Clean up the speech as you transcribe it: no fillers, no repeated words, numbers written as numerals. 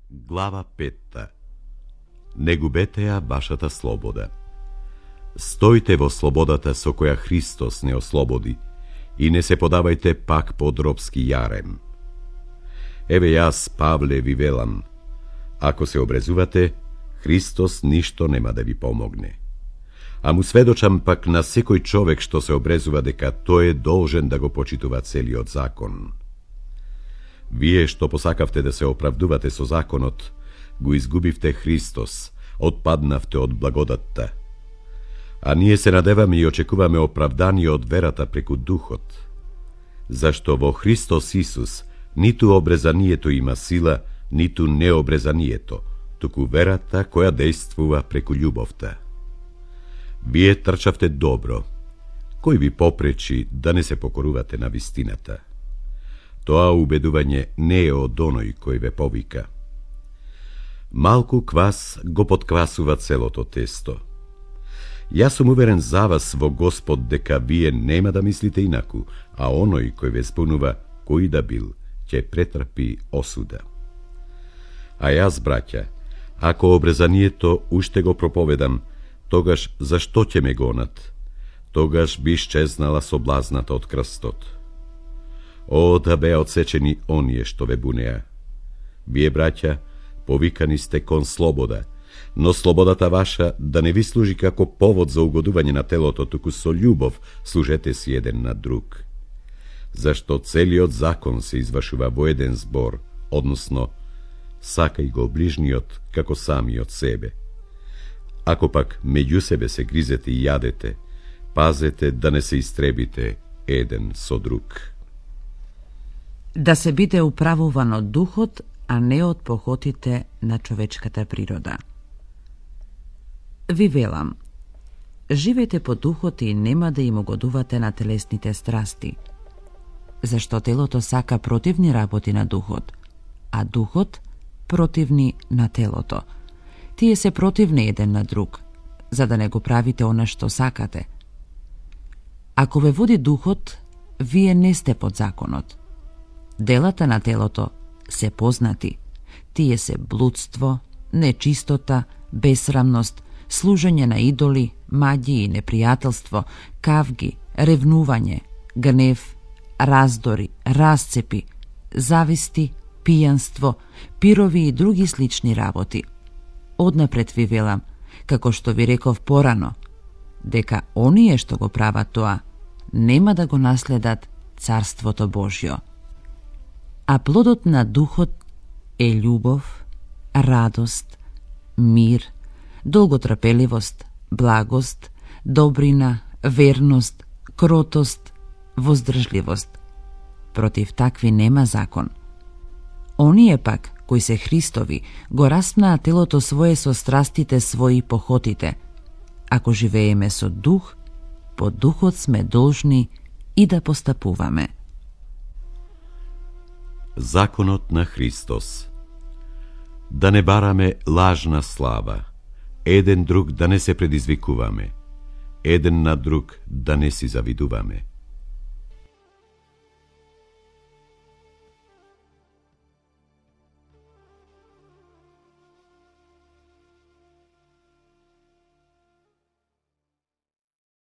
Глава 5. Не губете ја вашата слобода. Стојте во слободата со која Христос не ослободи и не се подавајте пак под робски јарем. Еве јас, Павле, ви велам, ако се обрезувате, Христос ништо нема да ви помогне. А му сведочам пак на секој човек што се обрезува дека тој е должен да го почитува целиот закон. Вие што посакавте да се оправдувате со законот, го изгубивте Христос, отпаднавте од благодатта. А ние се надеваме и очекуваме оправдание од верата преку Духот. Зашто во Христос Исус ниту обрезанието има сила, ниту необрезанието, туку верата која действува преку љубовта. Вие трчавте добро. Кој ви попречи да не се покорувате на вистината? Тоа убедување не е од оној кој ве повика. Малку квас го подквасува целото тесто. Јас сум уверен за вас во Господ дека вие нема да мислите инаку, а оној кој ве спунува, кој да бил, ќе претрпи осуда. А јас, браќа, ако обрезанието уште го проповедам, тогаш зашто ќе ме гонат? Тогаш би исчезнала соблазната од крстот. О, да беа отсечени оние што ве бунеа. Вие, браќа, повикани сте кон слобода, но слободата ваша да не ви служи како повод за угодување на телото, туку со љубов служете си еден на друг. Зашто целиот закон се извршува во еден збор, односно, сакај го ближниот како самиот себе. Ако пак меѓу себе се гризете и јадете, пазете да не се истребите еден со друг. Да се биде управуван од духот, а не од похотите на човечката природа. Ви велам, живеете по духот и нема да им угодувате на телесните страсти, зашто телото сака противни работи на духот, а духот противни на телото. Тие се противни еден на друг, за да не го правите она што сакате. Ако ве води духот, вие не сте под законот. Делата на телото се познати. Тие се блудство, нечистота, бесрамност, служење на идоли, маѓи и непријателство, кавги, ревнување, гнев, раздори, расцепи, зависти, пијанство, пирови и други слични работи. Однапред ви велам, како што ви реков порано, дека оние што го прават тоа, нема да го наследат Царството Божјо. А плодот на духот е љубов, радост, мир, долготрпеливост, благост, добрина, верност, кротост, воздржливост. Против такви нема закон. Оние пак, кои се Христови, го распнаа телото свое со страстите своји похотите. Ако живееме со дух, по духот сме должни и да постапуваме. Законот на Христос. Да не бараме лажна слава, еден друг да не се предизвикуваме, еден на друг да не си завидуваме.